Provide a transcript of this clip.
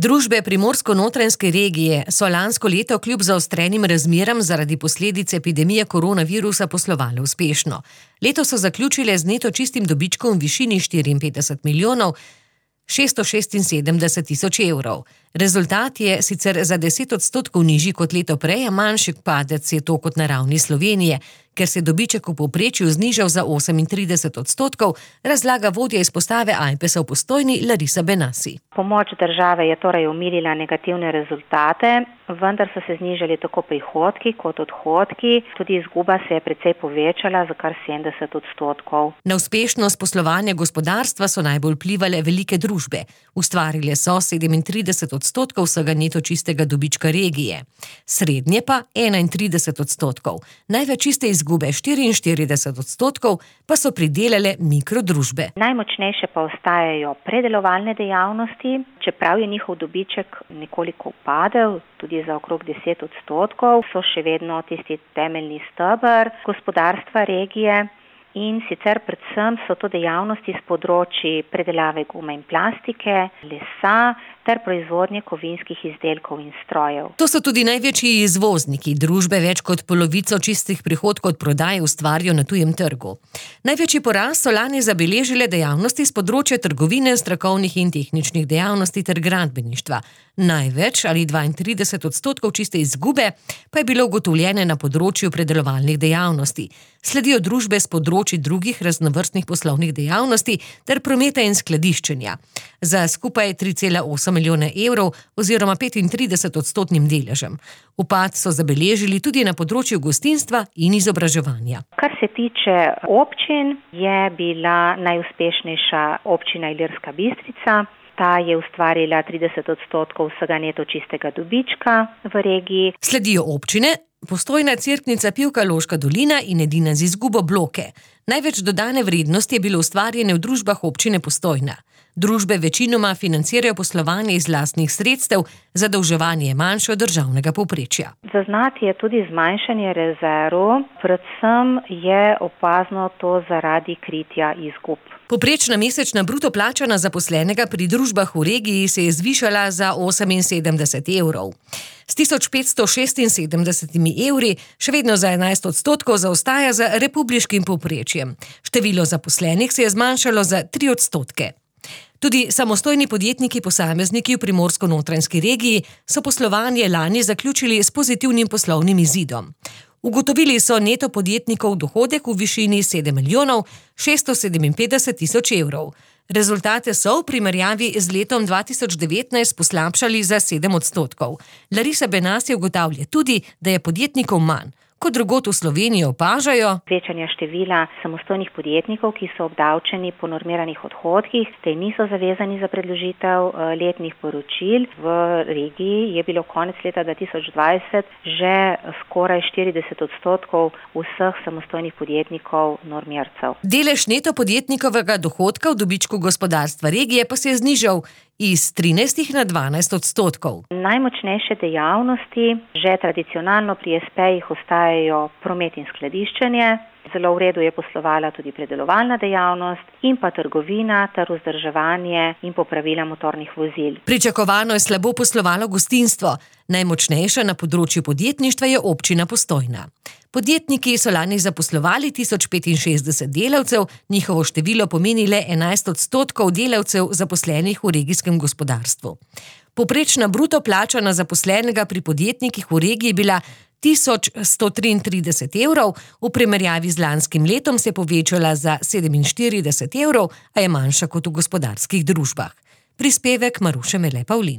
Družbe Primorsko-Notranjske regije so lansko leto kljub zaostrenim razmeram zaradi posledic epidemije koronavirusa poslovale uspešno. Leto so zaključile z neto čistim dobičkom v višini 54 milijonov 676 tisoč evrov. Rezultat je sicer za 10% nižji kot leto prej, a manjši padec je to kot na ravni Slovenije, ker se je dobiček v povprečju znižal za 38%, razlaga vodja izpostave Ajpesa v Postojni Larisa Benasi. Pomoč države je torej omilila negativne rezultate, vendar so se znižali tako prihodki kot odhodki, tudi izguba se je precej povečala za kar 70%. Na uspešnost poslovanja gospodarstva so najbolj vplivale velike družbe. Ustvarile so 37% vsega neto čistega dobička regije, srednje pa 31%. Največ čiste izgube 44% pa so pridelale mikrodružbe. Najmočnejše pa ostajajo predelovalne dejavnosti, čeprav je njihov dobiček nekoliko upadel, tudi za okrog 10%, so še vedno tisti temeljni steber gospodarstva regije. In sicer predvsem so to dejavnosti s področji predelave gume in plastike, lesa ter proizvodnje kovinskih izdelkov in strojev. To so tudi največji izvozniki. Družbe več kot polovico čistih prihodkov od prodaje ustvarijo na tujem trgu. Največji porast so lani zabeležile dejavnosti s področja trgovine, strokovnih in tehničnih dejavnosti ter gradbeništva. Največ ali 32% čiste izgube pa je bilo ugotovljene na področju predelovalnih dejavnosti. Sledijo družbe s področji drugih raznovrstnih poslovnih dejavnosti ter prometa in skladiščenja. Za skupaj 3,8 milijona evrov oziroma 35% deležem. Upad so zabeležili tudi na področju gostinstva in izobraževanja. Kar se tiče občin, je bila najuspešnejša občina Ilirska Bistrica. Ta je ustvarila 30% vsega neto čistega dobička v regiji. Sledijo občine Postojna, Cerknica, Pivka, Loška dolina in edina z izgubo Bloke. Največ dodane vrednosti je bilo ustvarjene v družbah občine Postojna. Družbe večinoma financirajo poslovanje iz lastnih sredstev, zadolževanje je manjše od državnega povprečja. Zaznati je tudi zmanjšanje rezerv, predvsem je opazno to zaradi kritja izgub. Povprečna mesečna bruto plača na zaposlenega pri družbah v regiji se je zvišala za 78 evrov. S 1576 evri še vedno za 11% zaostaja za republiškim povprečjem. Število zaposlenih se je zmanjšalo za 3%. Tudi samostojni podjetniki posamezniki v Primorsko-Notranjski regiji so poslovanje lani zaključili s pozitivnim poslovnim izidom. Ugotovili so neto podjetnikov dohodek v višini 7 milijonov 657 tisoč evrov. Rezultate so v primerjavi z letom 2019 poslabšali za 7%. Larisa Benasi ugotavlja tudi, da je podjetnikov manj. Kot drugod v Sloveniji opažajo večanje števila samostojnih podjetnikov, ki so obdavčeni po normiranih odhodkih, te niso zavezani za predložitev letnih poročil. V regiji je bilo konec leta 2020 že skoraj 40% vseh samostojnih podjetnikov normircev. Delež neto podjetnikovega dohodka v dobičku gospodarstva regije pa se je znižal iz 13 na 12%. Najmočnejše dejavnosti že tradicionalno pri SP-jih ostajajo promet in skladiščenje. Zelo v redu je poslovala tudi predelovalna dejavnost in pa trgovina ter vzdrževanje in popravila motornih vozil. Pričakovano je slabo poslovalo gostinstvo. Najmočnejša na področju podjetništva je občina Postojna. Podjetniki so lani zaposlovali 1065 delavcev, njihovo število pomeni le 11% delavcev zaposlenih v regijskem gospodarstvu. Povprečna bruto plača na zaposlenega pri podjetnikih v regiji je bila 1133 evrov, v primerjavi z lanskim letom se je povečala za 47 evrov, a je manjša kot v gospodarskih družbah. Prispevek Maruše Mele Pavlin.